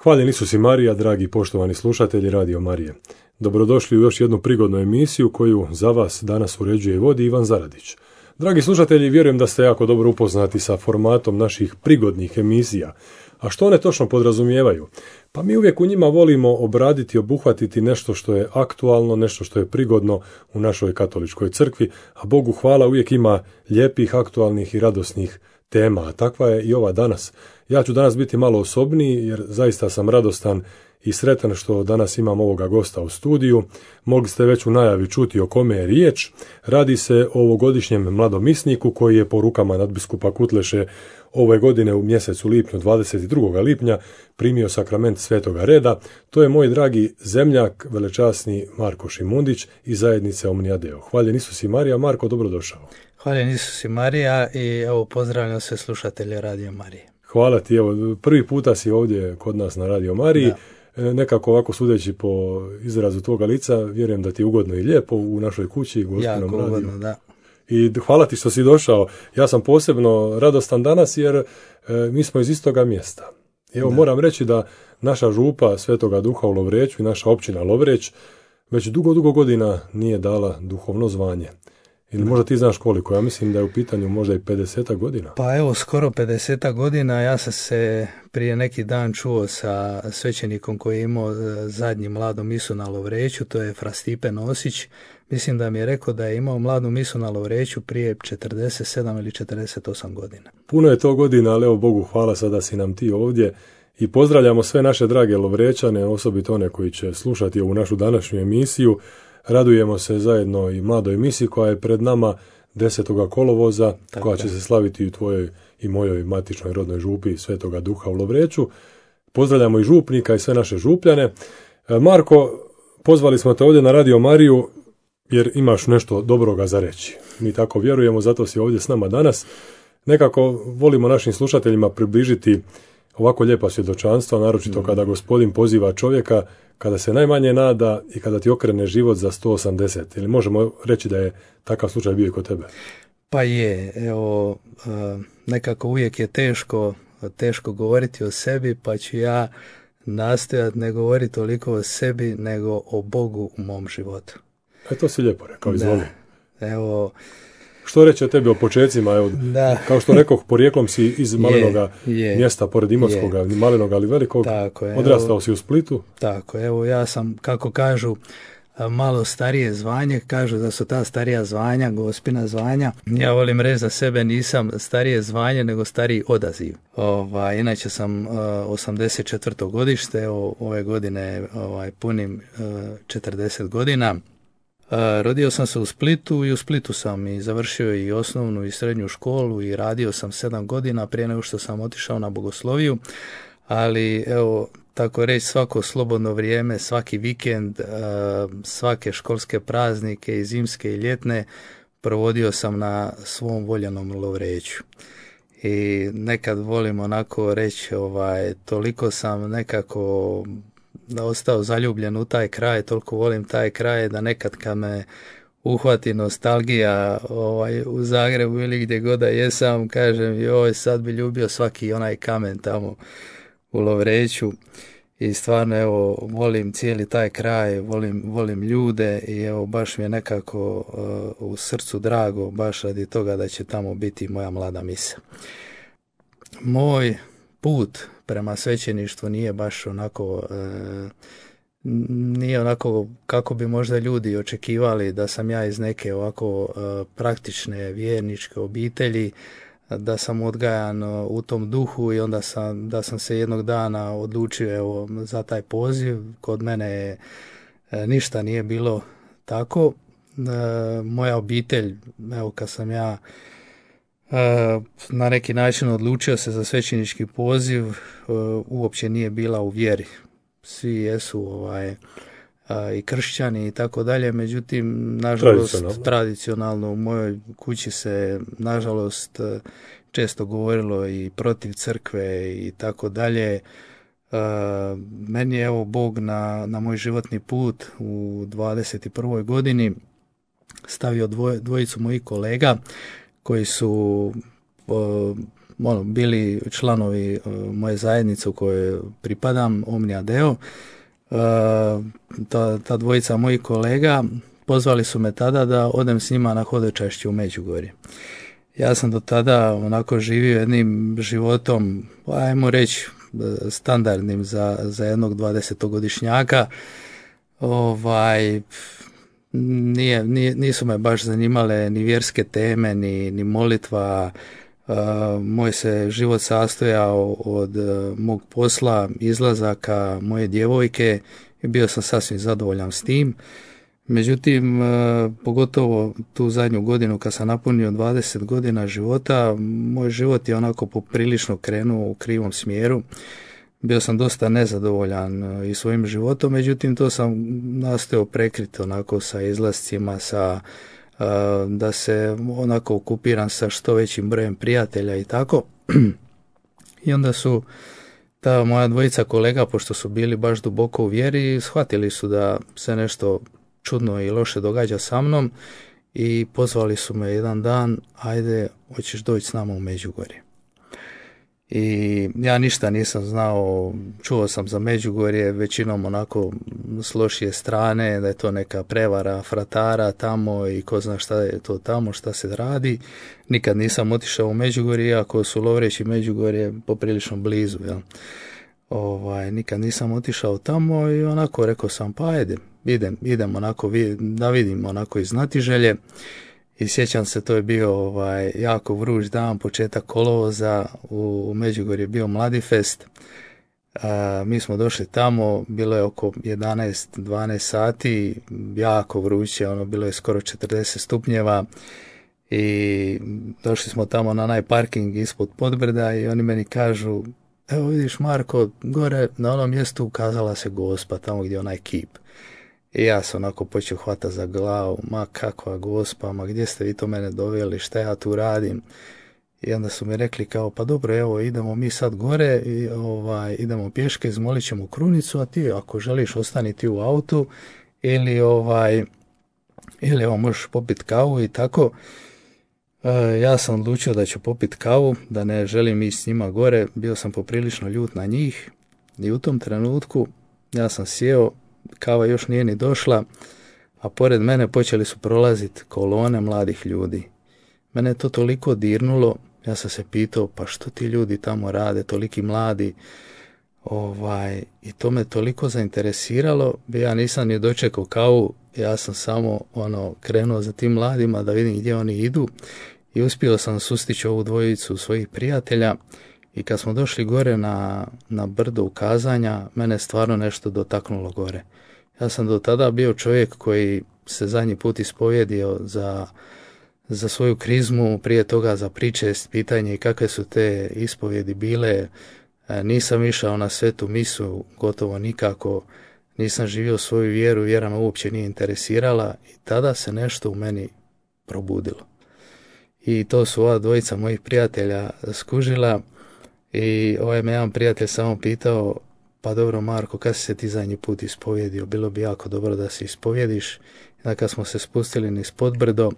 Hvaljen Isus i Marija, dragi poštovani slušatelji Radio Marije. Dobrodošli u još jednu prigodnu emisiju koju za vas danas uređuje i vodi Ivan Zaradić. Dragi slušatelji, vjerujem da ste jako dobro upoznati sa formatom naših prigodnih emisija. A što one točno podrazumijevaju? Pa mi uvijek u njima volimo obraditi, obuhvatiti nešto što je aktualno, nešto što je prigodno u našoj katoličkoj crkvi, a Bogu hvala uvijek ima lijepih, aktualnih i radosnih tema, a takva je i ova danas. Ja ću danas biti malo osobniji jer zaista sam radostan i sretan što danas imam ovoga gosta u studiju. Mogli ste već u najavi čuti o kome je riječ. Radi se o ovogodišnjem mladomisniku koji je po rukama nadbiskupa Kutleše ove godine u mjesecu lipnju, 22. lipnja, primio sakrament Svetoga Reda. To je moj dragi zemljak, velečasni Marko Šimundić iz zajednice Omnia Deo. Hvaljen Isus i Marija. Marko, dobrodošao. Hvaljen Isus i Marija i evo pozdravljam sve slušatelje Radio Marije. Hvala ti, evo prvi puta si ovdje kod nas na Radio Mariji. Da. Nekako ovako sudeći po izrazu tvoga lica, vjerujem da ti je ugodno i lijepo u našoj kući, gostinom radiju. Jako ugodno, da. I hvala ti što si došao. Ja sam posebno radostan danas jer mi smo iz istoga mjesta. Evo moram reći da naša župa Svetoga Duha u Lovreću i naša općina Lovreć već dugo godina nije dala duhovno zvanje. Ili možda ti znaš koliko, ja mislim da je u pitanju možda i 50 godina. Pa evo, skoro 50 godina, ja sam se prije neki dan čuo sa svećenikom koji je imao zadnji mladu misu na Lovreću, to je Fra Stipe Nosić. Mislim da mi je rekao da je imao mladu misu na Lovreću prije 47 ili 48 godina. Puno je to godina, ali evo Bogu hvala sada si nam ti ovdje. I pozdravljamo sve naše drage Lovrećane, osobito one koji će slušati ovu našu današnju emisiju. Radujemo se zajedno i mladoj misi koja je pred nama 10. kolovoza, tako koja će se slaviti u tvojoj i mojoj matičnoj rodnoj župi Svetoga Duha u Lovreću. Pozdravljamo i župnika i sve naše župljane. Marko, pozvali smo te ovdje na Radio Mariju jer imaš nešto dobroga za reći. Mi tako vjerujemo, zato si ovdje s nama danas. Nekako volimo našim slušateljima približiti ovako lijepa svjedočanstva, naročito kada Gospodin poziva čovjeka, kada se najmanje nada i kada ti okrene život za 180. Ili možemo reći da je takav slučaj bio i kod tebe? Pa je, evo, nekako uvijek je teško govoriti o sebi, pa ću ja nastojati ne govoriti toliko o sebi, nego o Bogu u mom životu. To si lijepo rekao, izvoli. Evo, što reći o tebi o počecima? Evo, kao što rekoh, porijeklom si iz malenoga mjesta pored Imotskoga, malenoga ali velikog. Tako je, odrastao si u Splitu. Tako, evo ja sam, kako kažu, malo starije zvanje, kažu da su ta starija zvanja, gospina zvanja. Ja volim reći za sebe, nisam starije zvanje, nego stariji odaziv. Inače sam 84. godište, ove godine punim 40 godina. Rodio sam se u Splitu i u Splitu sam i završio i osnovnu i srednju školu i radio sam 7 godina prije nego što sam otišao na bogosloviju, ali evo, tako reći, svako slobodno vrijeme, svaki vikend, svake školske praznike i zimske i ljetne provodio sam na svom voljenom Lovreću. I nekad volim onako reći, toliko sam nekako ostao zaljubljen u taj kraj, toliko volim taj kraj da nekad kad me uhvati nostalgija u Zagrebu ili gdje god da jesam, kažem joj, sad bi ljubio svaki onaj kamen tamo u Lovreću. I stvarno evo volim cijeli taj kraj, volim ljude i evo baš mi je nekako u srcu drago baš radi toga da će tamo biti moja mlada misa. Moj put prema svećeništvu nije baš onako nije onako kako bi možda ljudi očekivali da sam ja iz neke ovako praktične vjerničke obitelji, da sam odgajan u tom duhu i onda da sam se jednog dana odlučio evo, za taj poziv. Kod mene ništa nije bilo tako. Moja obitelj, evo kad sam ja na neki način odlučio se za svećenički poziv, uopće nije bila u vjeri. Svi jesu i kršćani i tako dalje, međutim, nažalost, tradicionalno u mojoj kući se, nažalost, često govorilo i protiv crkve i tako dalje. Meni je evo Bog na moj životni put u 21. godini stavio dvojicu mojih kolega koji su bili članovi moje zajednice u kojoj pripadam, Omnia Deo. Ta dvojica mojih kolega pozvali su me tada da odem s njima na hodočašće u Međugorje. Ja sam do tada onako živio jednim životom, ajmo reći, standardnim za jednog 20-godišnjaka. Nisu me baš zanimale ni vjerske teme, ni molitva. Moj se život sastojao od mog posla, izlazaka moje djevojke i bio sam sasvim zadovoljan s tim. Međutim, pogotovo tu zadnju godinu kad sam napunio 20 godina života, moj život je onako poprilično krenuo u krivom smjeru. Bio sam dosta nezadovoljan i svojim životom, međutim to sam nastojao prekriti onako sa izlascima, da se onako okupiram sa što većim brojem prijatelja i tako. I onda su ta moja dvojica kolega, pošto su bili baš duboko u vjeri, shvatili su da se nešto čudno i loše događa sa mnom i pozvali su me jedan dan, ajde, hoćeš doći s nama u Međugorje. I ja ništa nisam znao, čuo sam za Međugorje većinom onako s lošije strane, da je to neka prevara fratara tamo i ko zna šta je to tamo, šta se radi. Nikad nisam otišao u Međugorje, iako su Lovreć i Međugorje poprilično blizu. Jel? Nikad nisam otišao tamo i onako rekao sam, pa ajde, idem onako da vidim onako iz znatiželje. I sjećam se, to je bio jako vruć dan, početak kolovoza, u Međugorju je bio Mladifest. Mi smo došli tamo, bilo je oko 11-12 sati, jako vruće, bilo je skoro 40 stupnjeva i došli smo tamo na onaj parking ispod Podbrda i oni meni kažu, evo vidiš Marko, gore na onom mjestu ukazala se Gospa, tamo gdje je onaj kip. I ja sam onako počeo hvatati za glavu, ma kakva Gospa, ma gdje ste vi to mene doveli, šta ja tu radim? I onda su mi rekli kao, pa dobro, evo idemo mi sad gore, i, idemo pješke, izmolit ćemo krunicu, a ti ako želiš ostani ti u autu ili evo možeš popiti kavu i tako. Ja sam odlučio da ću popiti kavu, da ne želim ići s njima gore, bio sam poprilično ljut na njih i u tom trenutku ja sam sjeo, kava još nije ni došla, a pored mene počeli su prolaziti kolone mladih ljudi. Mene je to toliko dirnulo, ja sam se pitao, pa što ti ljudi tamo rade, toliki mladi, i to me toliko zainteresiralo, ja nisam ni dočekao kavu, ja sam samo krenuo za tim mladima da vidim gdje oni idu i uspio sam sustići ovu dvojicu svojih prijatelja. I kad smo došli gore na brdo ukazanja, mene stvarno nešto dotaknulo gore. Ja sam do tada bio čovjek koji se zadnji put ispovjedio za svoju krizmu, prije toga za pričest, pitanje kakve su te ispovjedi bile. Nisam išao na svetu misu, gotovo nikako, nisam živio svoju vjeru, vjera me uopće nije interesirala i tada se nešto u meni probudilo. I to su ova dvojica mojih prijatelja skužila. I me jedan prijatelj samo pitao, pa dobro Marko, kad si se ti zadnji put ispovjedio, bilo bi jako dobro da se ispovjediš. I kad smo se spustili niz Podbrdo,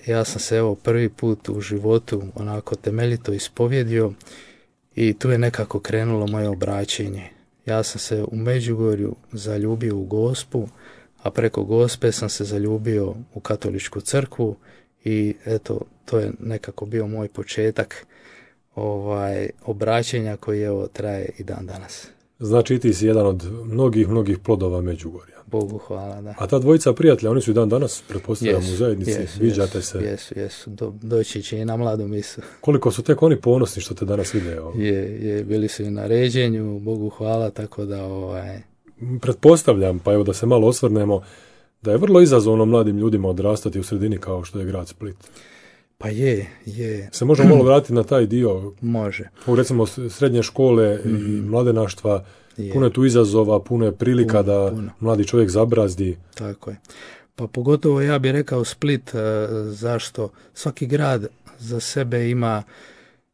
ja sam se prvi put u životu onako temeljito ispovjedio i tu je nekako krenulo moje obraćenje. Ja sam se u Međugorju zaljubio u Gospu, a preko Gospe sam se zaljubio u katoličku crkvu i eto, to je nekako bio moj početak obraćenja koji traje i dan danas. Znači ti si jedan od mnogih plodova Međugorja. Bogu hvala, da. A ta dvojica prijatelja, oni su i dan danas, pretpostavljam, u zajednici, viđate se. Jesu, doći će i na mladu misu. Koliko su tek oni ponosni što te danas vide? Je, bili su i na ređenju, Bogu hvala, tako da Pretpostavljam, pa evo da se malo osvrnemo, da je vrlo izazovno mladim ljudima odrastati u sredini kao što je grad Split. Pa je. Se možemo malo vratiti na taj dio? Može. Recimo srednje škole i mladenaštva, puno je tu izazova, puno je prilika da mladi čovjek zabrazdi. Tako je. Pa pogotovo ja bih rekao Split, zašto? Svaki grad za sebe ima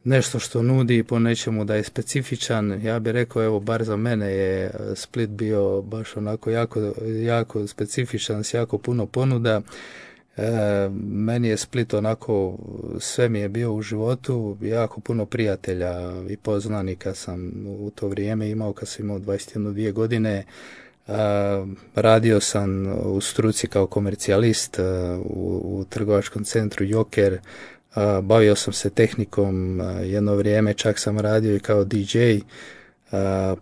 nešto što nudi po nečemu da je specifičan. Ja bih rekao, evo, bar za mene je Split bio baš onako jako specifičan, s jako puno ponuda. Meni je Split onako, sve mi je bio u životu, jako puno prijatelja i poznanika sam u to vrijeme imao kad sam imao 21-2 godine. Radio sam u struci kao komercijalist u trgovačkom centru Joker. Bavio sam se tehnikom jedno vrijeme, čak sam radio i kao DJ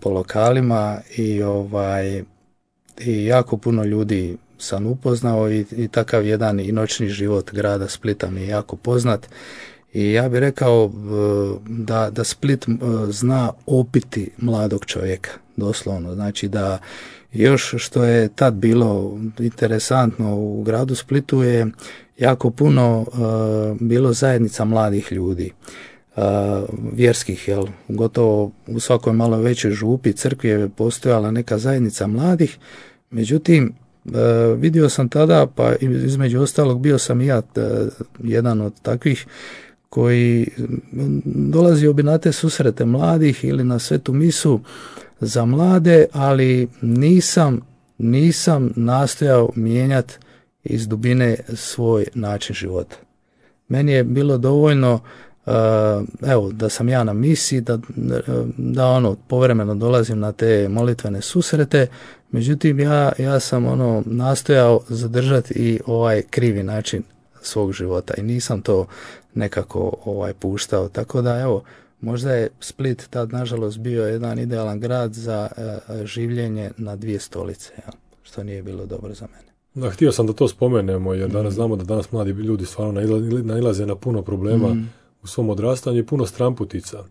po lokalima i jako puno ljudi sam upoznao i takav jedan i noćni život grada Splita mi je jako poznat. I ja bih rekao da Split zna opiti mladog čovjeka, doslovno. Znači da još što je tad bilo interesantno u gradu Splitu je jako puno bilo zajednica mladih ljudi, vjerskih, gotovo u svakoj malo većoj župi, crkvi je postojala neka zajednica mladih, međutim vidio sam tada, pa između ostalog bio sam i ja jedan od takvih koji dolazio bi na te susrete mladih ili na svetu misu za mlade, ali nisam nastojao mijenjati iz dubine svoj način života. Meni je bilo dovoljno da sam ja na misiji, da povremeno dolazim na te molitvene susrete, međutim ja sam nastojao zadržati i ovaj krivi način svog života i nisam to nekako puštao, tako da možda je Split tad nažalost bio jedan idealan grad za življenje na dvije stolice, što nije bilo dobro za mene. Da, htio sam da to spomenemo, jer danas znamo da danas mladi ljudi stvarno nailaze na puno problema u svom odrastanju i puno stramputica.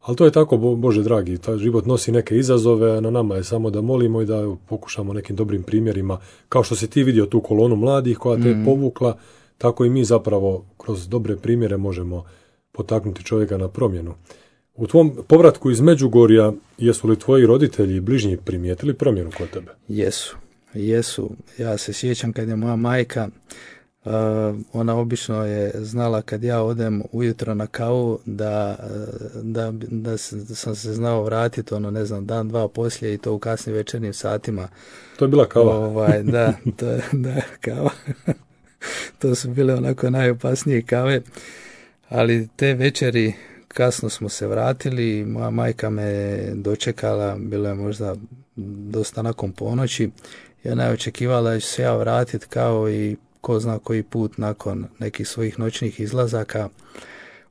Ali to je tako, Bože dragi, taj život nosi neke izazove, a na nama je samo da molimo i da pokušamo nekim dobrim primjerima, kao što si ti vidio tu kolonu mladih koja te je povukla, tako i mi zapravo kroz dobre primjere možemo potaknuti čovjeka na promjenu. U tvom povratku iz Međugorja, jesu li tvoji roditelji i bližnji primijetili promjenu kod tebe? Jesu. Ja se sjećam kad je moja majka, ona obično je znala kad ja odem ujutro na kavu da sam se znao vratiti dan, dva poslije i to u kasnim večernjim satima. To je bila kava? Da, kava. To su bile onako najopasnije kave, ali te večeri kasno smo se vratili, moja majka me dočekala, bilo je možda dosta nakon ponoći, i ona je očekivala da ću se ja vratiti kao i ko zna koji put nakon nekih svojih noćnih izlazaka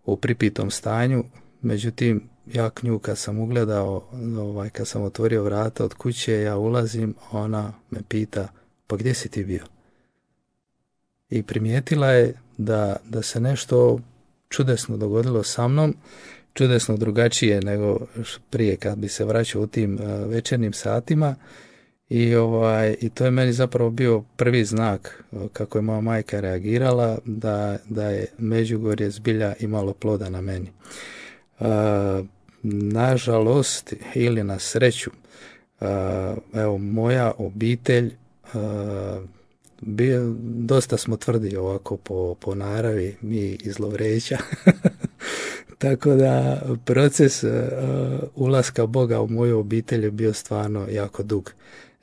u pripitom stanju. Međutim, ja nju kad sam ugledao, kad sam otvorio vrata od kuće, ja ulazim, ona me pita, pa gdje si ti bio? I primijetila je da se nešto čudesno dogodilo sa mnom, čudesno drugačije nego prije kad bi se vraćao u tim večernjim satima. I to je meni zapravo bio prvi znak kako je moja majka reagirala da je Međugorje zbilja imalo ploda na meni. Nažalost ili na sreću, moja obitelj, dosta smo tvrdi ovako po naravi, mi iz Lovreća. Tako da proces ulaska Boga u moju obitelj je bio stvarno jako dug.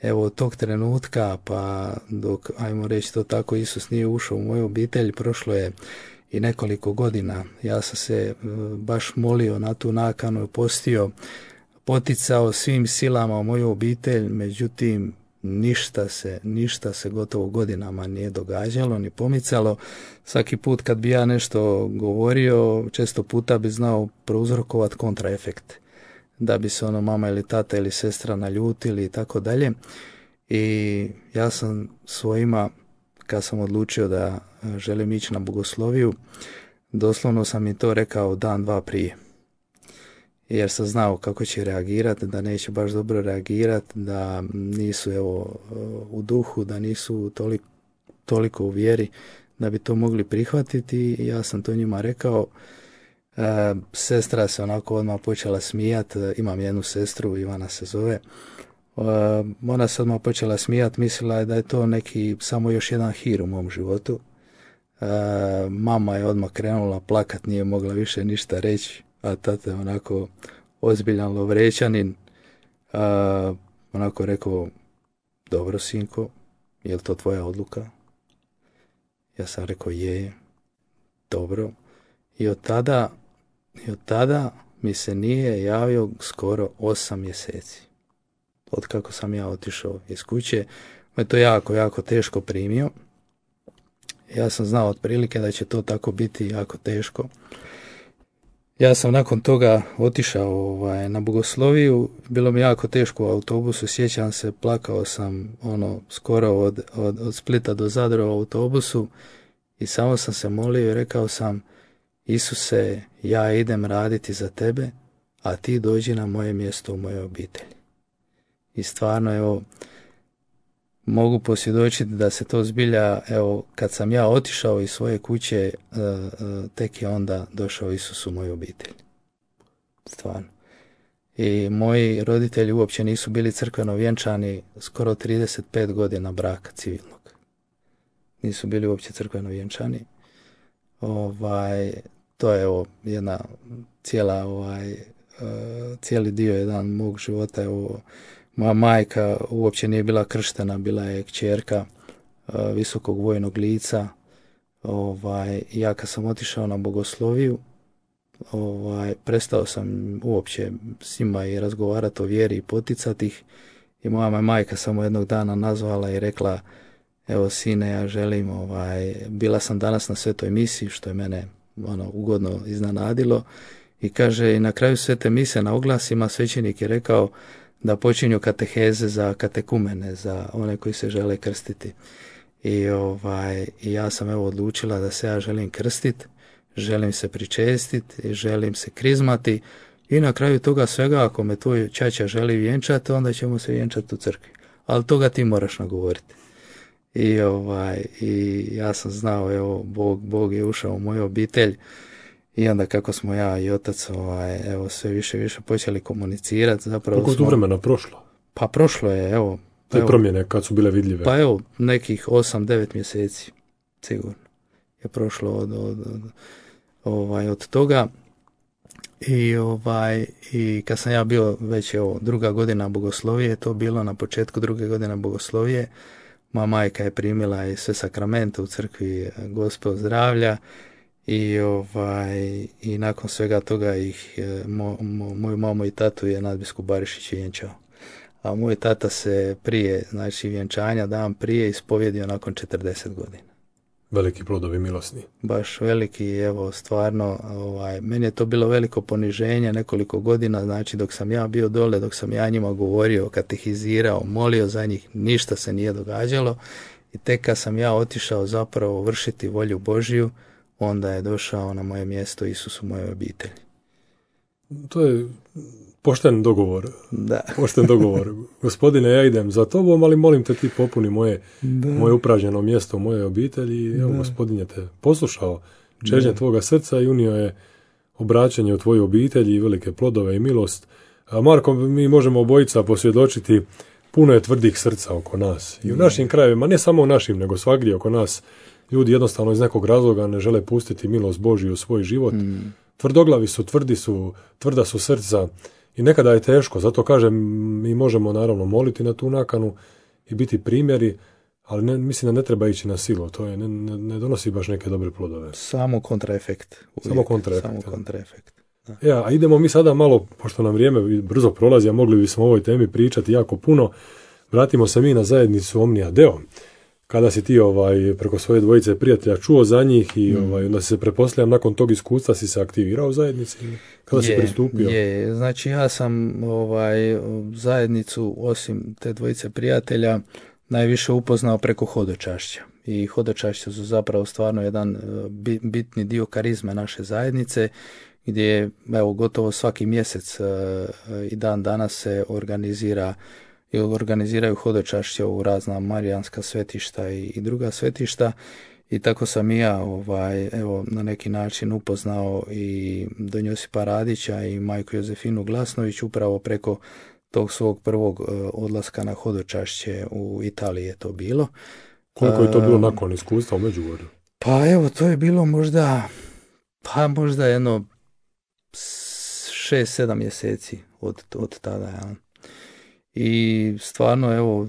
Evo od tog trenutka pa dok, ajmo reći to tako, Isus nije ušao u moju obitelj, prošlo je i nekoliko godina. Ja sam se baš molio na tu nakanu, postio, poticao svim silama u moju obitelj, međutim ništa se gotovo godinama nije događalo ni pomicalo. Svaki put kad bi ja nešto govorio, često puta bi znao prouzrokovati kontraefekt, da bi se mama ili tata ili sestra naljutili i tako dalje. I ja sam svojima, kad sam odlučio da želim ići na bogosloviju, doslovno sam im to rekao dan, dva prije. Jer sam znao kako će reagirati, da neće baš dobro reagirati, da nisu u duhu, da nisu toliko u vjeri da bi to mogli prihvatiti. I ja sam to njima rekao. Sestra se onako odmah počela smijati, imam jednu sestru, Ivana se zove. Ona se odmah počela smijati, mislila je da je to neki samo još jedan hir u mom životu. Mama je odmah krenula plakat, nije mogla više ništa reći, a tata je onako ozbiljan Lovrećanin, onako rekao, dobro sinko, je li to tvoja odluka? Ja sam rekao je, dobro. I od tada mi se nije javio skoro 8 mjeseci. Od kako sam ja otišao iz kuće, me to jako, jako teško primio. Ja sam znao otprilike da će to tako biti jako teško. Ja sam nakon toga otišao na bogosloviju, bilo mi jako teško u autobusu, sjećam se, plakao sam skoro od Splita do Zadra u autobusu i samo sam se molio i rekao sam: Isuse, ja idem raditi za tebe, a ti dođi na moje mjesto u mojoj obitelji. I stvarno, evo, mogu posvjedočiti da se to zbilja, evo, kad sam ja otišao iz svoje kuće, tek je onda došao Isus u moju obitelj. Stvarno. I moji roditelji uopće nisu bili crkveno vjenčani skoro 35 godina braka civilnog. Nisu bili uopće crkveno vjenčani. To je evo jedna cijeli dio jedan mog života. Evo, moja majka uopće nije bila krštena, bila je kćerka visokog vojnog lica. Ja kad sam otišao na bogosloviju, prestao sam uopće s njima i razgovarati o vjeri i poticati ih. I moja me majka samo jednog dana nazvala i rekla: evo sine, ja želim, bila sam danas na svetoj misiji, što je mene ugodno iznenadilo, i kaže, i na kraju svete mise na oglasima svećenik je rekao da počinju kateheze za katekumene, za one koji se žele krstiti. I ja sam evo odlučila da se ja želim krstiti, želim se pričestiti, želim se krizmati, i na kraju toga svega, ako me tvoj ćaća želi vjenčati, onda ćemo se vjenčati u crkvi. Ali toga ti moraš nagovoriti. I ja sam znao, evo, Bog je ušao u moju obitelj, i onda kako smo ja i otac evo sve više počeli komunicirati. Zapravo koliko je tu vremena prošlo? Pa prošlo je, evo. Te promjene kad su bile vidljive? Pa evo, nekih 8-9 mjeseci, sigurno je prošlo od toga. I kad sam ja bio već, evo, 2. godina bogoslovije, to bilo na početku 2. godine bogoslovije, moja majka je primila i sve sakramente u crkvi Gospel zdravlja, i nakon svega toga ih moju mamu i tatu je nadbiskup Barišić vjenčao. A moj tata se prije, znači vjenčanja, dan prije, ispovjedio nakon 40 godina. Veliki plodovi milosni. Baš veliki, evo, stvarno, meni je to bilo veliko poniženje nekoliko godina, znači dok sam ja bio dole, dok sam ja njima govorio, katehizirao, molio za njih, ništa se nije događalo, i tek kad sam ja otišao zapravo vršiti volju Božiju, onda je došao na moje mjesto Isus u mojoj obitelji. To je pošten dogovor. Da. Pošten dogovor. Gospodine, ja idem za tobom, ali molim te, ti popuni moje upražnjeno mjesto u mojoj obitelji. I evo, Gospodin je te poslušao, čežnje tvoga srca, i unio je obraćanje u tvoju obitelji i velike plodove i milost. A Marko, mi možemo obojica posvjedočiti, puno je tvrdih srca oko nas. I u našim krajevima, ne samo u našim, nego svagdje oko nas, ljudi jednostavno iz nekog razloga ne žele pustiti milost Božju u svoj život. Tvrdoglavi su, tvrda su srca, i nekada je teško. Zato kažem, mi možemo naravno moliti na tu nakanu i biti primjeri, ali mislim da ne treba ići na silu. To je, ne donosi baš neke dobre plodove. Samo kontraefekt. Samo kontraefekt. A idemo mi sada malo, pošto nam vrijeme brzo prolazi, a mogli bismo o ovoj temi pričati jako puno. Vratimo se mi na zajednicu Omnia Deo. Kada si ti preko svoje dvojice prijatelja čuo za njih i onda si se, pretpostavljam, nakon tog iskustva si se aktivirao u zajednici? Kada si pristupio? Znači ja sam zajednicu, osim te dvojice prijatelja, najviše upoznao preko hodočašća. I hodočašća su zapravo stvarno jedan bitni dio karizme naše zajednice, gdje gotovo svaki mjesec i dan danas se organiziraju hodočašća u razna marijanska svetišta i druga svetišta, i tako sam i ja na neki način upoznao i don Josipa Radića i majku Jozefinu Glasnović upravo preko tog svog prvog odlaska na hodočašće u Italiji je to bilo. Koliko je to bilo nakon iskustva u Međugorju? Pa evo, to je bilo možda jedno 6-7 mjeseci od tada, ja. I stvarno, evo,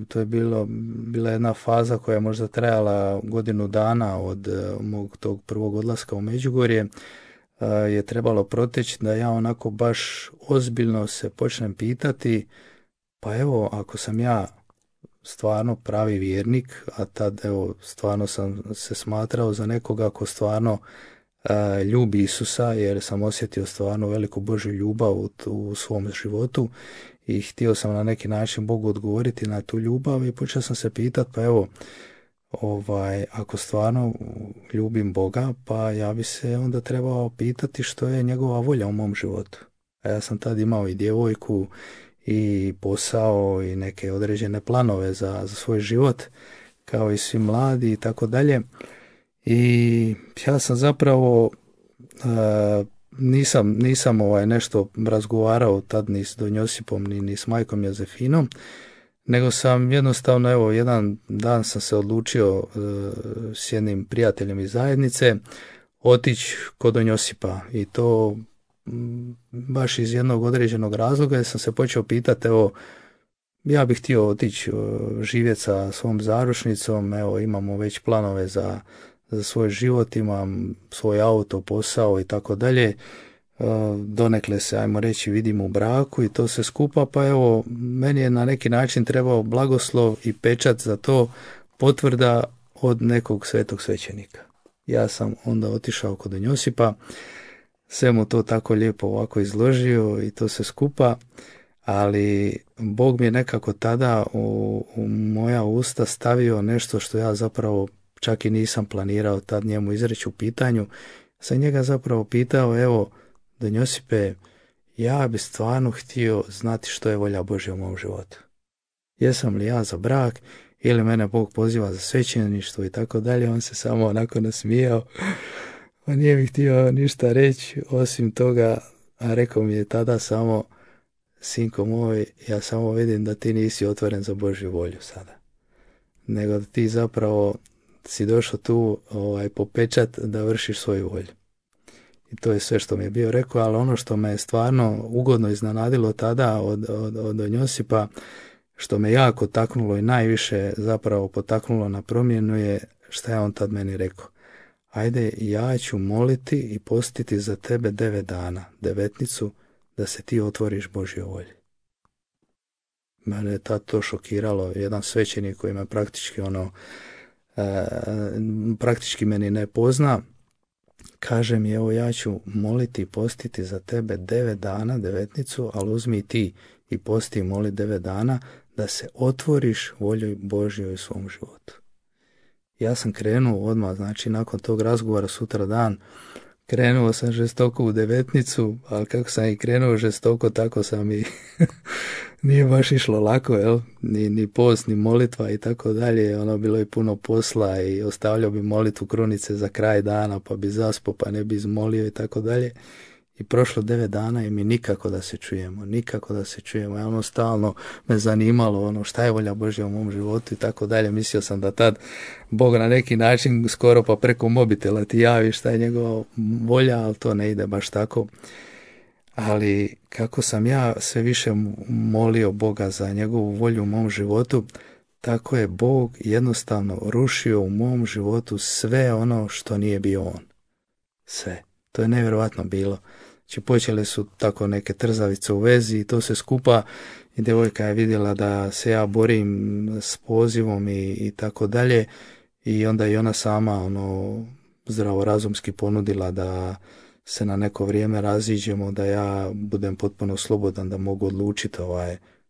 to je bila jedna faza koja je možda trajala godinu dana od mog tog prvog odlaska u Međugorje. Je trebalo proteći da ja onako baš ozbiljno se počnem pitati, pa evo, ako sam ja stvarno pravi vjernik, a tad evo stvarno sam se smatrao za nekoga ko stvarno ljubi Isusa, jer sam osjetio stvarno veliku Božju ljubav u svom životu i htio sam na neki način Bogu odgovoriti na tu ljubav i počeo sam se pitati, pa evo, ako stvarno ljubim Boga, pa ja bi se onda trebao pitati što je njegova volja u mom životu. A ja sam tad imao i djevojku i posao i neke određene planove za svoj život, kao i svi mladi i tako dalje. I ja sam zapravo nisam nešto razgovarao tad ni s Don Josipom ni s majkom Jozefinom, nego sam jednostavno, evo, jedan dan sam se odlučio s jednim prijateljem iz zajednice otići kod Don Josipa i to baš iz jednog određenog razloga, jer sam se počeo pitati, evo, ja bih htio otići živjeti sa svom zaručnicom, evo, imamo već planove za svoj život, imam svoj auto, posao i tako dalje, donekle se, ajmo reći, vidim u braku i to se skupa, pa evo, meni je na neki način trebao blagoslov i pečat za to, potvrda od nekog svetog svećenika. Ja sam onda otišao kod Don Josipa, sve mu to tako lijepo ovako izložio i to se skupa, ali Bog mi je nekako tada u moja usta stavio nešto što ja zapravo čak i nisam planirao tad njemu izreći u pitanju. Sam njega zapravo pitao, evo, Don Josipe, ja bi stvarno htio znati što je volja Božja u mom životu. Jesam li ja za brak ili mene Bog poziva za svećeništvo i tako dalje. On se samo onako nasmijao. On nije mi htio ništa reći osim toga, a rekao mi je tada samo, sinko moj, ja samo vidim da ti nisi otvoren za Božju volju sada. Nego da ti zapravo si došao tu po pečat da vršiš svoju volju. I to je sve što mi je bio rekao, ali ono što me je stvarno ugodno iznenadilo tada od Don Josipa, što me jako taknulo i najviše zapravo potaknulo na promjenu je šta je on tad meni rekao. Ajde, ja ću moliti i postiti za tebe 9 dana, devetnicu, da se ti otvoriš Božjoj volji. Mene je tad to šokiralo, jedan svećenik koji me praktički meni ne pozna, kaže mi, evo, ja ću moliti i postiti za tebe 9 dana, devetnicu, ali uzmi ti i posti i moli 9 dana da se otvoriš volji Božjoj u svom životu. Ja sam krenuo odmah, znači nakon tog razgovora sutra dan, krenuo sam žestoko u devetnicu, ali kako sam i krenuo žestoko, tako sam i nije baš išlo lako, jel? Ni post, ni molitva i tako dalje, ono bilo je puno posla i ostavljao bi molitvu krunice za kraj dana, pa bi zaspao, pa ne bi izmolio i tako dalje. I prošlo 9 dana i mi nikako da se čujemo. Ja stalno me zanimalo šta je volja Božja u mom životu i tako dalje. Mislio sam da tad Bog na neki način skoro pa preko mobitela ti javi šta je njegova volja, ali to ne ide baš tako. Ali kako sam ja sve više molio Boga za njegovu volju u mom životu, tako je Bog jednostavno rušio u mom životu sve ono što nije bio on. Sve. To je nevjerojatno bilo. Znači počele su tako neke trzavice u vezi i to se skupa i djevojka je vidjela da se ja borim s pozivom i tako dalje i onda i ona sama zdravorazumski ponudila da se na neko vrijeme raziđemo, da ja budem potpuno slobodan, da mogu odlučiti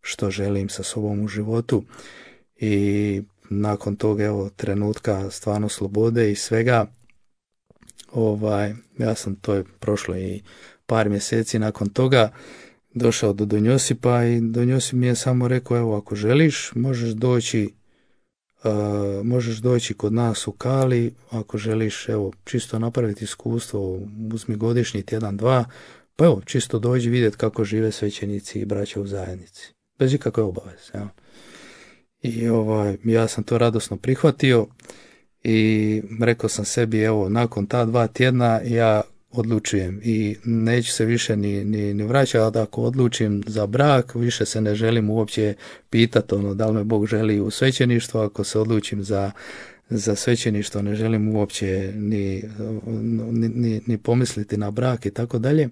što želim sa sobom u životu i nakon toga trenutka stvarno slobode i svega, ja sam, to je prošlo i par mjeseci nakon toga, došao do Don Josipa i Don Josip mi je samo rekao, ako želiš možeš doći kod nas u Kali, ako želiš čisto napraviti iskustvo, uzmi godišnji tjedan, 2, pa čisto dođi vidjeti kako žive svećenici i braća u zajednici, bez ikakve obaveze. I ja sam to radosno prihvatio i rekao sam sebi, nakon ta 2 tjedna ja odlučujem i neću se više ni vraćati. Ako odlučim za brak, više se ne želim uopće pitati da li me Bog želi u svećeništvo. Ako se odlučim za svećeništvo, ne želim uopće ni pomisliti na brak i tako dalje.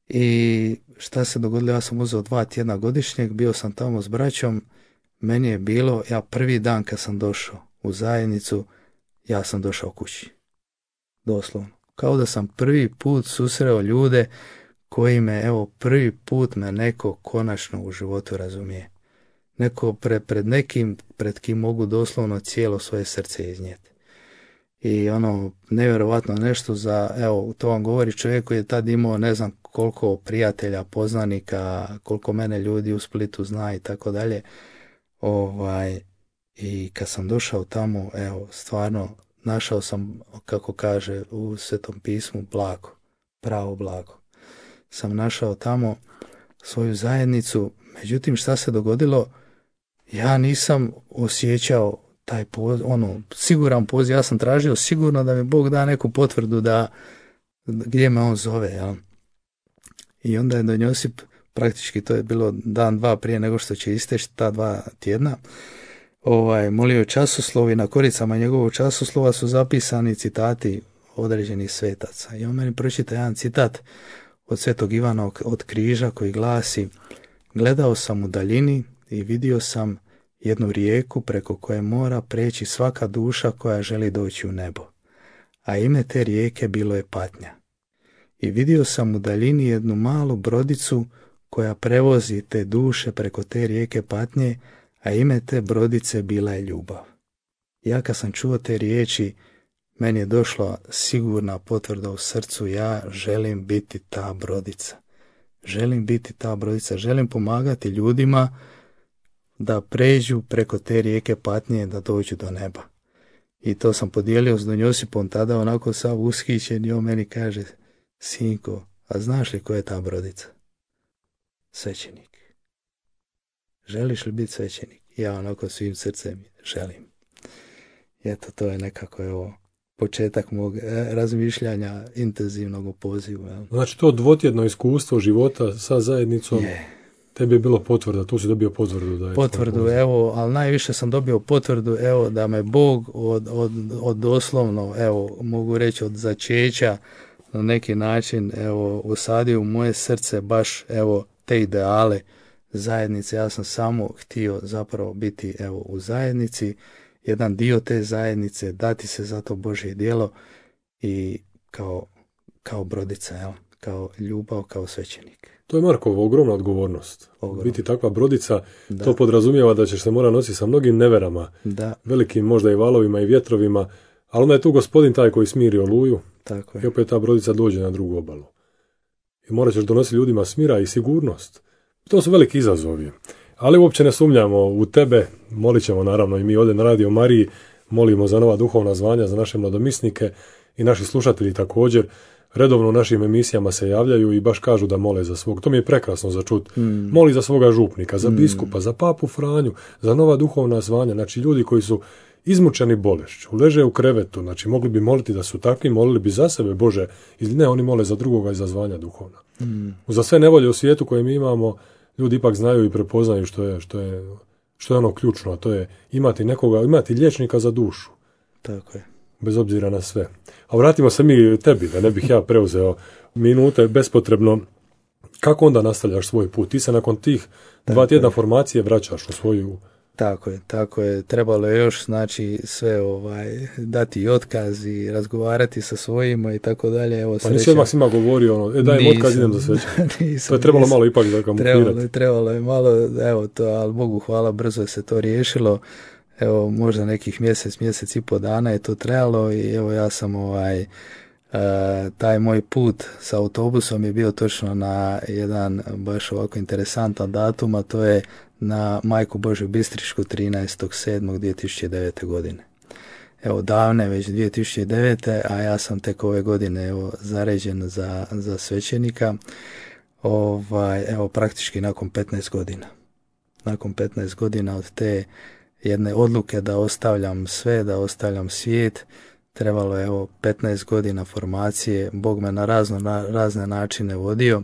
I šta se dogodilo, ja sam uzeo 2 tjedna godišnjeg, bio sam tamo s braćom, meni je bilo, ja prvi dan kad sam došao u zajednicu, ja sam došao kući. Doslovno. Kao da sam prvi put susreo ljude koji me, evo, prvi put me neko konačno u životu razumije. Neko pred nekim, pred kim mogu doslovno cijelo svoje srce iznijeti. I nevjerovatno nešto evo, to vam govori čovjek koji je tad imao ne znam koliko prijatelja, poznanika, koliko mene ljudi u Splitu zna i tako dalje. I kad sam došao tamo, evo, stvarno, našao sam, kako kaže u Svetom pismu, blago, pravo blago. Sam našao tamo svoju zajednicu, međutim šta se dogodilo, ja nisam osjećao taj siguran poziv, ja sam tražio sigurno da mi Bog da neku potvrdu gdje me on zove, jel? I onda je Don Josip, praktički to je bilo dan, 2 prije nego što će isteći ta 2 tjedna, molio časoslov i na koricama njegovog časoslova su zapisani citati određenih svetaca. I on meni pročita jedan citat od Svetog Ivana od Križa koji glasi: gledao sam u daljini i vidio sam jednu rijeku preko koje mora preći svaka duša koja želi doći u nebo. A ime te rijeke bilo je patnja. I vidio sam u daljini jednu malu brodicu koja prevozi te duše preko te rijeke patnje, a ime te brodice bila je ljubav. Ja kad sam čuo te riječi, meni je došla sigurna potvrda u srcu, ja želim biti ta brodica. Želim biti ta brodica, želim pomagati ljudima da pređu preko te rijeke patnje, da dođu do neba. I to sam podijelio s Don Josipom, tada onako sav ushićen, i on meni kaže: sinko, a znaš li ko je ta brodica? Svećenik. Želiš li biti svećenik? Ja onako svim srcem želim. I eto, to je nekako početak mog razmišljanja intenzivnog o pozivu. Znači to 2-tjedno iskustvo života sa zajednicom tebi je bilo potvrda, tu si dobio potvrdu da je potvrdu, evo, ali najviše sam dobio potvrdu, evo, da me Bog od doslovno, evo, mogu reći od začeća na neki način, evo, usadio u moje srce baš, evo, te ideale zajednice. Ja sam samo htio zapravo biti, evo, u zajednici, jedan dio te zajednice, dati se za to Božje djelo i kao brodica, evo, kao ljubav, kao svećenik. To je Markova ogromna odgovornost. Biti takva brodica, to podrazumijeva da ćeš se mora nositi sa mnogim neverama, velikim možda i valovima i vjetrovima, ali onda je tu Gospodin taj koji smiri oluju. Tako je. I opet ta brodica dođe na drugu obalu. I morat ćeš donositi ljudima smira i sigurnost. To su veliki izazovi. Ali uopće ne sumnjamo u tebe, molit ćemo naravno i mi ovdje na Radio Mariji, molimo za nova duhovna zvanja, za naše mladomisnike i naši slušatelji također. Redovno u našim emisijama se javljaju i baš kažu da mole za svog. To mi je prekrasno za čut. Moli za svoga župnika, za biskupa, za papu Franju, za nova duhovna zvanja. Znači ljudi koji su izmučeni bolešću, leže u krevetu, znači mogli bi moliti da su takvi, molili bi za sebe, Bože, ili ne, oni mole za drugoga i za zvanja duhovna. Za sve nevolje u svijetu koje mi imamo, ljudi ipak znaju i prepoznaju što je ono ključno, a to je imati liječnika za dušu. Tako je. Bez obzira na sve. A vratimo se mi tebi, da ne bih ja preuzeo minute bespotrebno. Kako onda nastavljaš svoj put? Ti se nakon tih 2 tjedna formacije vraćaš u svoju... Tako je. Trebalo je još, znači, sve dati i otkaz i razgovarati sa svojima i tako dalje. Evo, pa nisi odmah svima govorio dajem otkaz, idem za svećenje. To je trebalo malo ipak zakamuflirati. Trebalo je malo, evo to, ali Bogu hvala, brzo je se to riješilo. Evo, možda nekih mjesec i pol dana je to trajalo i evo ja sam taj moj put sa autobusom je bio točno na jedan baš ovako interesantan datum, a to je na Majku Božju Bistrišku 13.7.2009. godine. Evo, davne već 2009. a ja sam tek ove godine zaređen za svećenika. Evo, praktički nakon 15 godina. Nakon 15 godina od te jedne odluke da ostavljam sve, da ostavljam svijet, trebalo je 15 godina formacije, Bog me na razne načine vodio.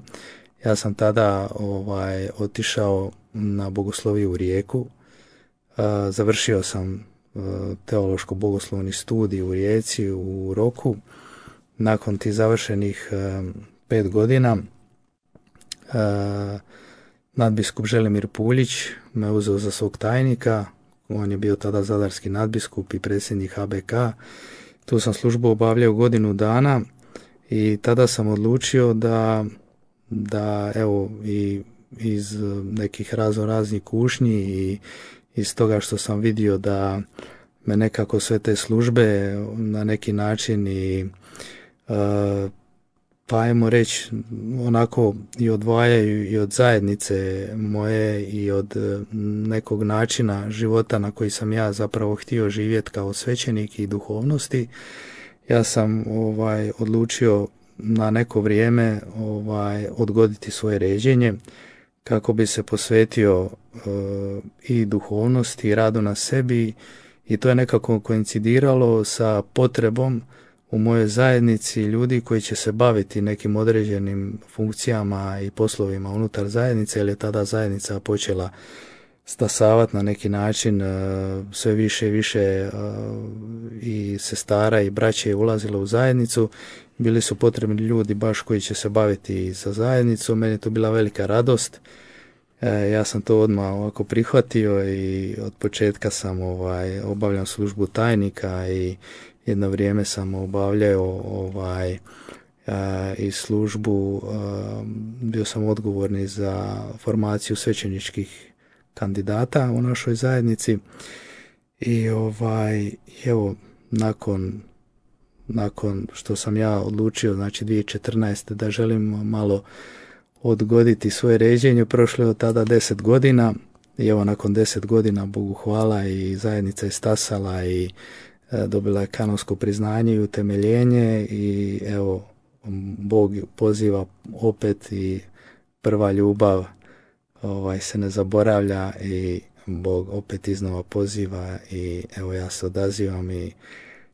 Ja sam tada otišao na bogosloviju u Rijeku, završio sam teološko-bogoslovni studij u Rijeci, u Roku. Nakon tih završenih 5 godina nadbiskup Želimir Puljić me uzeo za svog tajnika. On je bio tada zadarski nadbiskup i predsjednik HBK. Tu sam službu obavljao godinu dana i tada sam odlučio da evo i iz nekih raznih kušnji i iz toga što sam vidio da me nekako sve te službe na neki način i pa ajmo reći onako i odvajaju i od zajednice moje i od nekog načina života na koji sam ja zapravo htio živjeti kao svećenik i duhovnosti. Ja sam odlučio na neko vrijeme odgoditi svoje ređenje kako bi se posvetio i duhovnosti i radu na sebi, i to je nekako koincidiralo sa potrebom u mojoj zajednici ljudi koji će se baviti nekim određenim funkcijama i poslovima unutar zajednice, jer je tada zajednica počela stasavati na neki način, sve više i više i sestara i braće je ulazilo u zajednicu. Bili su potrebni ljudi baš koji će se baviti sa zajednicom. Meni je to bila velika radost. Ja sam to odmah ovako prihvatio i od početka sam obavljao službu tajnika i jedno vrijeme sam obavljao i službu, bio sam odgovorni za formaciju svećeničkih kandidata u našoj zajednici i evo nakon što sam ja odlučio, znači 2014. da želim malo odgoditi svoje ređenje, prošlo je od tada 10 godina i evo nakon 10 godina, Bogu hvala, i zajednica je stasala i dobila je kanonsko priznanje i utemeljenje i evo Bog poziva opet i prva ljubav se ne zaboravlja i Bog opet iznova poziva i evo ja se odazivam i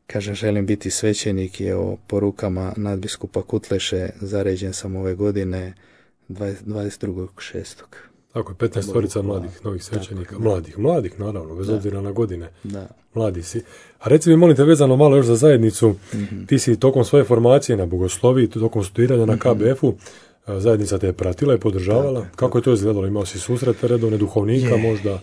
kažem želim biti svećenik i evo po rukama nadbiskupa Kutleše zaređen sam ove godine 22.6. Tako je, 15 mladih novih svećenika, mladih naravno, bez obzira na godine. Da. Mladi si. A reci mi, molim te, vezano malo još za zajednicu, ti si tokom svoje formacije na bogosloviji, tokom studiranja na KBF-u, zajednica te je pratila i podržavala. Kako je to izgledalo? Imao si susrete redovne duhovnika možda?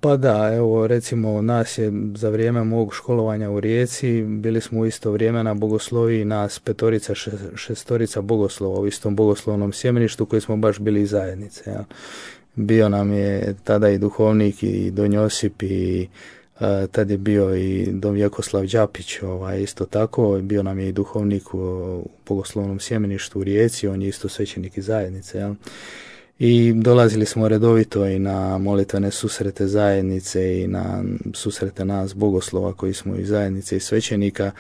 Pa da, evo recimo nas je za vrijeme mog školovanja u Rijeci, bili smo u isto vrijeme na bogosloviji, nas 5-6 bogoslova u istom bogoslovnom sjemeništu koji smo baš bili iz zajednice. Ja. Bio nam je tada i duhovnik i Don Josip i tad je bio i Don Vjekoslav Đapić, isto tako, bio nam je i duhovnik u bogoslovnom sjemeništu u Rijeci, on je isto svećenik iz zajednice, jel? I dolazili smo redovito i na molitvene susrete zajednice i na susrete nas bogoslova koji smo iz zajednice i svećenika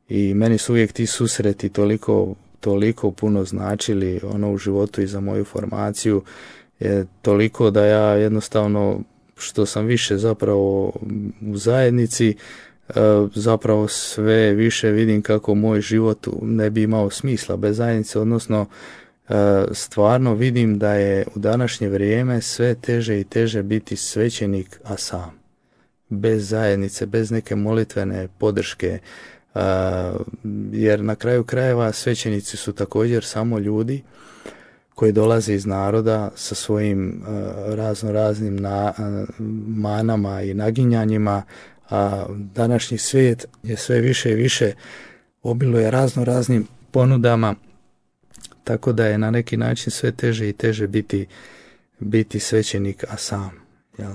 i meni su uvijek ti susreti toliko puno značili u životu i za moju formaciju, je toliko da ja jednostavno što sam više zapravo u zajednici, zapravo sve više vidim kako moj život ne bi imao smisla bez zajednice, odnosno stvarno vidim da je u današnje vrijeme sve teže i teže biti svećenik, a sam. Bez zajednice, bez neke molitvene podrške, jer na kraju krajeva svećenici su također samo ljudi koji dolaze iz naroda sa svojim raznim manama i naginjanjima, a današnji svijet je sve više i više obiluje raznim ponudama, tako da je na neki način sve teže i teže biti svećenik, a sam. Jel?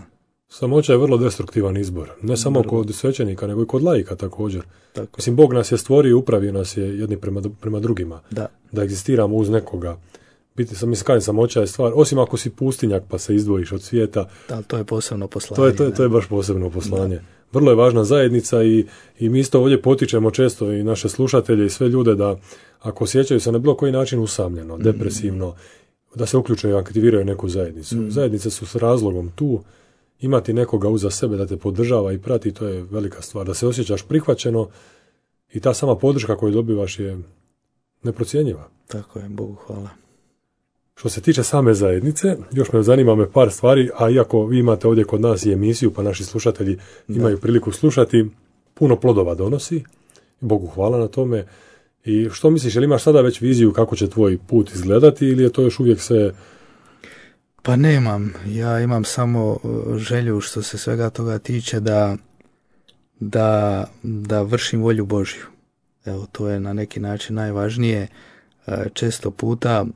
Samoća je vrlo destruktivan izbor, ne samo kod svećenika, nego i kod laika također. Tako. Mislim, Bog nas je stvorio i upravio nas je jedni prema drugima, da egzistiramo uz nekoga. Samoća je stvar, osim ako si pustinjak pa se izdvojiš od svijeta. Da, to je posebno poslanje. To je baš posebno poslanje. Da. Vrlo je važna zajednica i mi isto ovdje potičemo često i naše slušatelje i sve ljude da ako osjećaju se na bilo koji način usamljeno, depresivno, da se uključuju i aktiviraju neku zajednicu. Zajednice su s razlogom tu, imati nekoga uza sebe da te podržava i prati, to je velika stvar. Da se osjećaš prihvaćeno i ta sama podrška koju dobivaš je neprocjenjiva. Tako je, Bogu hvala. Što se tiče same zajednice, još me zanima par stvari, a iako vi imate ovdje kod nas i emisiju, pa naši slušatelji imaju priliku slušati, puno plodova donosi, Bogu hvala na tome. I što misliš, jel imaš sada već viziju kako će tvoj put izgledati ili je to još uvijek sve... Pa nemam, ja imam samo želju što se svega toga tiče da vršim volju Božju. Evo, to je na neki način najvažnije. Često puta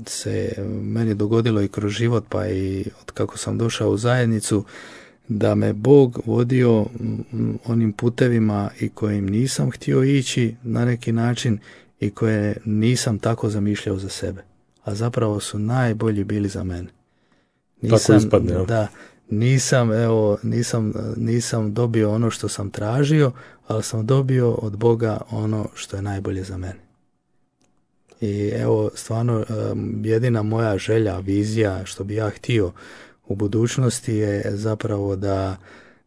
se meni dogodilo i kroz život, pa i od kako sam došao u zajednicu, da me Bog vodio onim putevima i kojim nisam htio ići na neki način i koje nisam tako zamišljao za sebe. A zapravo su najbolji bili za mene. Tako ispadne, ja? Da, nisam dobio ono što sam tražio, ali sam dobio od Boga ono što je najbolje za mene. I evo, stvarno, jedina moja želja, vizija, što bi ja htio u budućnosti je zapravo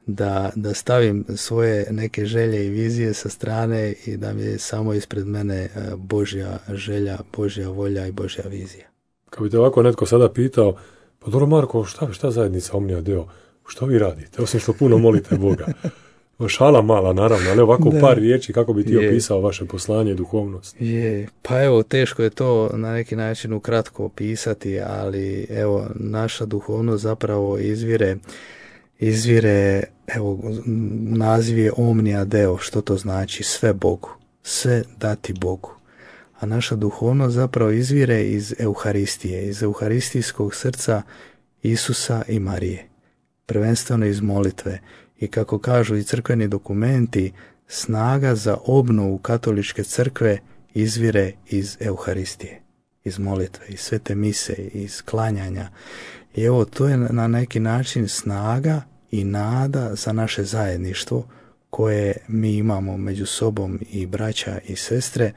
da stavim svoje neke želje i vizije sa strane i da mi je samo ispred mene Božja želja, Božja volja i Božja vizija. Kad bi te ovako netko sada pitao, pa dobro Marko, šta zajednica Omnia Deo, što vi radite, osim što puno molite Boga? Šala mala, naravno, ali ovako u par riječi kako bi ti opisao vaše poslanje i duhovnost. Pa evo, teško je to na neki način ukratko opisati, ali evo, naša duhovnost zapravo izvire, evo, naziv je Omnia Deo, što to znači? Sve Bogu, sve dati Bogu. A naša duhovnost zapravo izvire iz Euharistije, iz euharistijskog srca Isusa i Marije, prvenstveno iz molitve. I kako kažu i crkveni dokumenti, snaga za obnovu katoličke crkve izvire iz Euharistije, iz molitve, iz svete mise, iz klanjanja. I evo, to je na neki način snaga i nada za naše zajedništvo koje mi imamo među sobom i braća i sestre.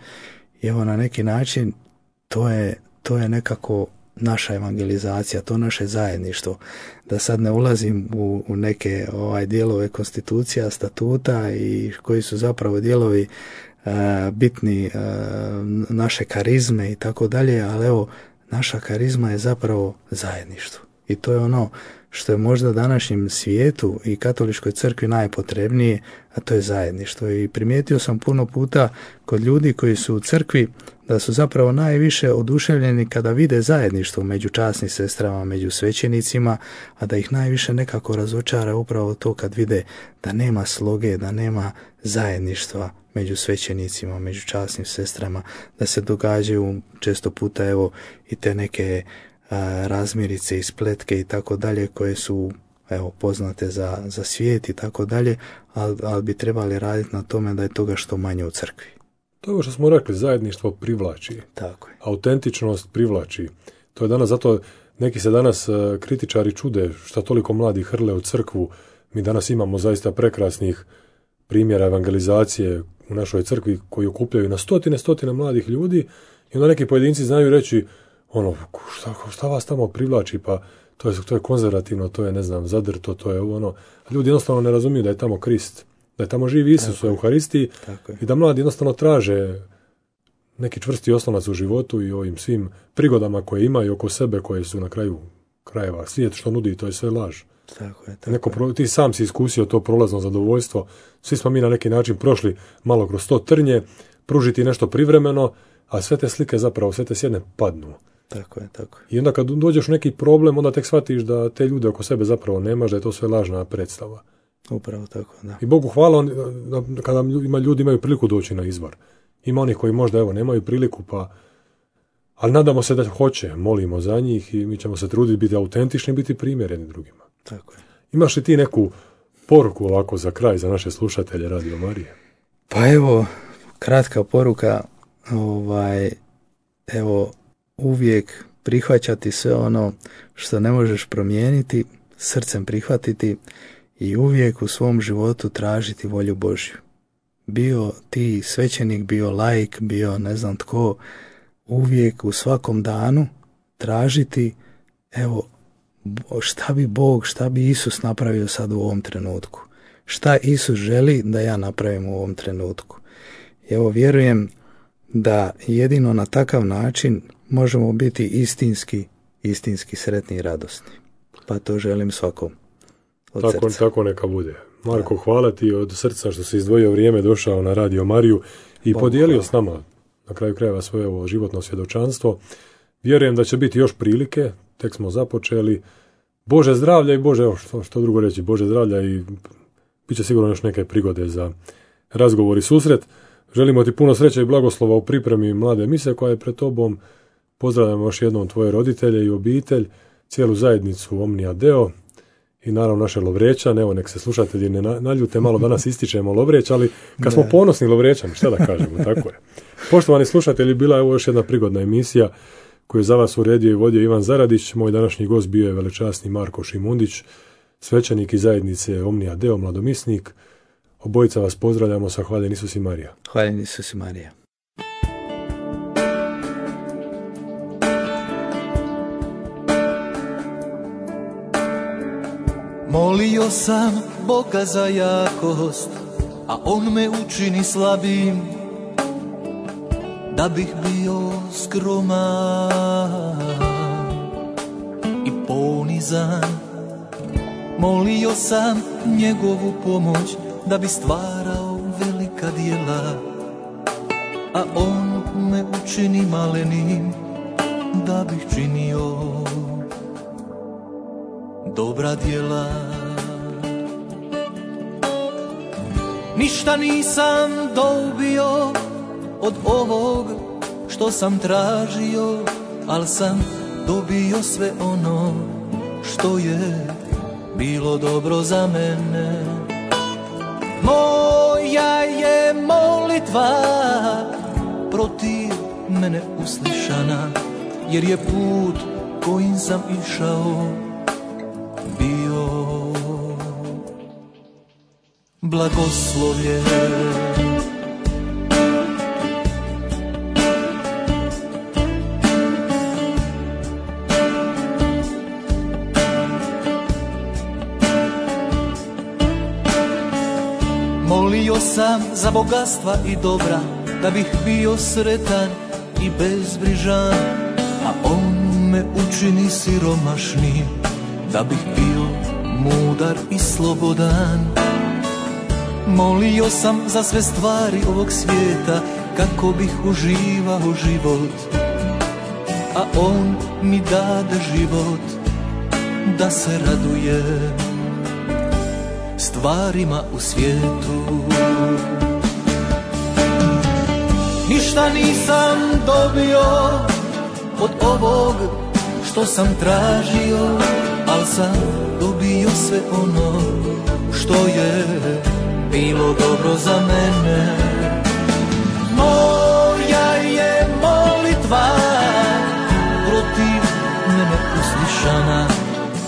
I evo, na neki način to je nekako naša evangelizacija, to naše zajedništvo. Da sad ne ulazim u neke dijelove konstitucija, statuta i koji su zapravo dijelovi bitni naše karizme i tako dalje, ali evo, naša karizma je zapravo zajedništvo. I to je ono što je možda današnjem svijetu i katoličkoj crkvi najpotrebnije, a to je zajedništvo. I primijetio sam puno puta kod ljudi koji su u crkvi da su zapravo najviše oduševljeni kada vide zajedništvo među časnim sestrama, među svećenicima, a da ih najviše nekako razočara upravo to kad vide da nema sloge, da nema zajedništva među svećenicima, među časnim sestrama, da se događaju često puta evo i te neke razmirice i spletke i tako dalje koje su evo poznate za svijet i tako dalje, ali bi trebali raditi na tome da je toga što manje u crkvi. To je ovo što smo rekli, zajedništvo privlači. Tako je. Autentičnost privlači. To je danas, zato neki se danas kritičari čude šta toliko mladi hrle u crkvu. Mi danas imamo zaista prekrasnih primjera evangelizacije u našoj crkvi koji okupljaju na stotine mladih ljudi i onda neki pojedinci znaju reći šta vas tamo privlači, pa to je konzervativno, to je, ne znam, zadrto, to je ono. A ljudi jednostavno ne razumiju da je tamo Krist, da je tamo živi Isus u Euharistiji i da mladi jednostavno traže neki čvrsti oslonac u životu i ovim svim prigodama koje imaju oko sebe, koje su na kraju krajeva. Svijet što nudi, to je sve laž. Ti sam si iskusio to prolazno zadovoljstvo. Svi smo mi na neki način prošli malo kroz to trnje, pružiti nešto privremeno, a sve te slike zapravo, sve te sjedne padnu. Tako je. I onda kad dođeš u neki problem, onda tek shvatiš da te ljude oko sebe zapravo nemaš, da je to sve lažna predstava. Upravo tako, da. I Bogu hvala kada ljudi imaju priliku doći na izvor. Ima onih koji možda nemaju priliku, ali nadamo se da hoće, molimo za njih i mi ćemo se truditi biti autentični i biti primjereni drugima. Tako je. Imaš li ti neku poruku ovako za kraj, za naše slušatelje Radio Marije? Pa evo, kratka poruka, evo, uvijek prihvaćati sve ono što ne možeš promijeniti, srcem prihvatiti i uvijek u svom životu tražiti volju Božju. Bio ti svećenik, bio laik, bio ne znam tko, uvijek u svakom danu tražiti, evo, šta bi Bog, šta bi Isus napravio sad u ovom trenutku. Šta Isus želi da ja napravim u ovom trenutku. Evo, vjerujem da jedino na takav način možemo biti istinski sretni i radosni. Pa to želim svakom od srca. Tako neka bude. Marko, hvala ti od srca što si izdvojio vrijeme, došao na Radio Mariju i podijelio s nama na kraju krajeva svoje ovo životno svjedočanstvo. Vjerujem da će biti još prilike, tek smo započeli. Bože zdravlja i Bože, evo što drugo reći, Bože zdravlja i bit će sigurno još neke prigode za razgovor i susret. Želimo ti puno sreće i blagoslova u pripremi mlade mise koja je pred tobom. Pozdravljamo još jednom tvoje roditelje i obitelj, cijelu zajednicu Omnia Deo i naravno naše Lovrećane. Evo, nek se slušatelji ne naljute, malo danas ističemo Lovreć, ali kad smo ponosni Lovrećani, šta da kažemo, tako je. Poštovani slušatelji, bila je ovo još jedna prigodna emisija koju je za vas uredio i vodio Ivan Zaradić. Moj današnji gost bio je velečasni Marko Šimundić, svećenik iz zajednice Omnia Deo, mladomisnik. Obojica vas pozdravljamo sa Hvaljen Isus i Marija. Hvaljen Isus i Marija. Molio sam Boga za jakost, a On me učini slabim, da bih bio skroman i ponizan. Molio sam njegovu pomoć, da bi stvarao velika djela, a On me učini malenim, da bih činio dobra djela. Ništa nisam dobio od ovog što sam tražio, al sam dobio sve ono što je bilo dobro za mene. Moja je molitva protiv mene uslišana, jer je put kojim sam išao bio blagoslovljen. Molio sam za bogatstva i dobra, da bih bio sretan i bezbrižan, a On me učini siromašnim, da bih bio mudar i slobodan. Molio sam za sve stvari ovog svijeta, kako bih uživao život, a On mi dade život, da se radujem stvarima u svijetu. Ništa nisam dobio od ovog što sam tražio, al sam dobio sve ono što je bilo dobro za mene. Moja je molitva protiv mene uslišana,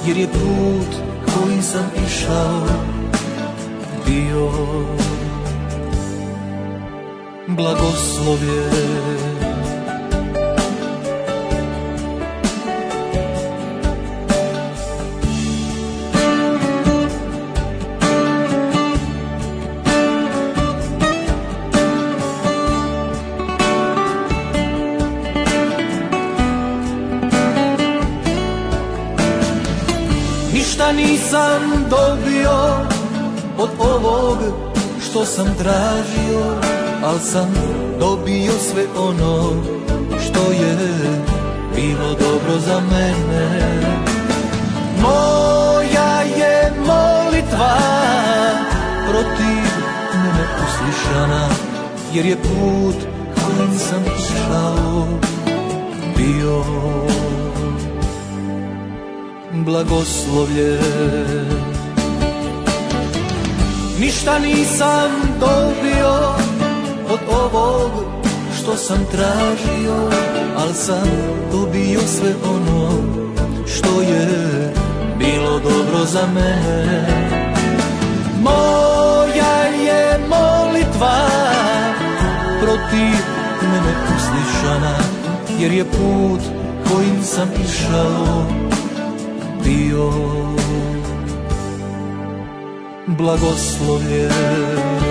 jer je put kojim sam išao bio blagoslovljen. Ništa nisam dobio od ovog što sam tražio, al sam dobio sve ono što je bilo dobro za mene. Moja je molitva protiv mene uslišana, jer je put kojim sam išao bio blagoslovljen. Ništa nisam dobio od ovog što sam tražio, al sam dobio sve ono što je bilo dobro za mene. Moja je molitva protiv mene uslišana, jer je put kojim sam išao bio blagoslovljen.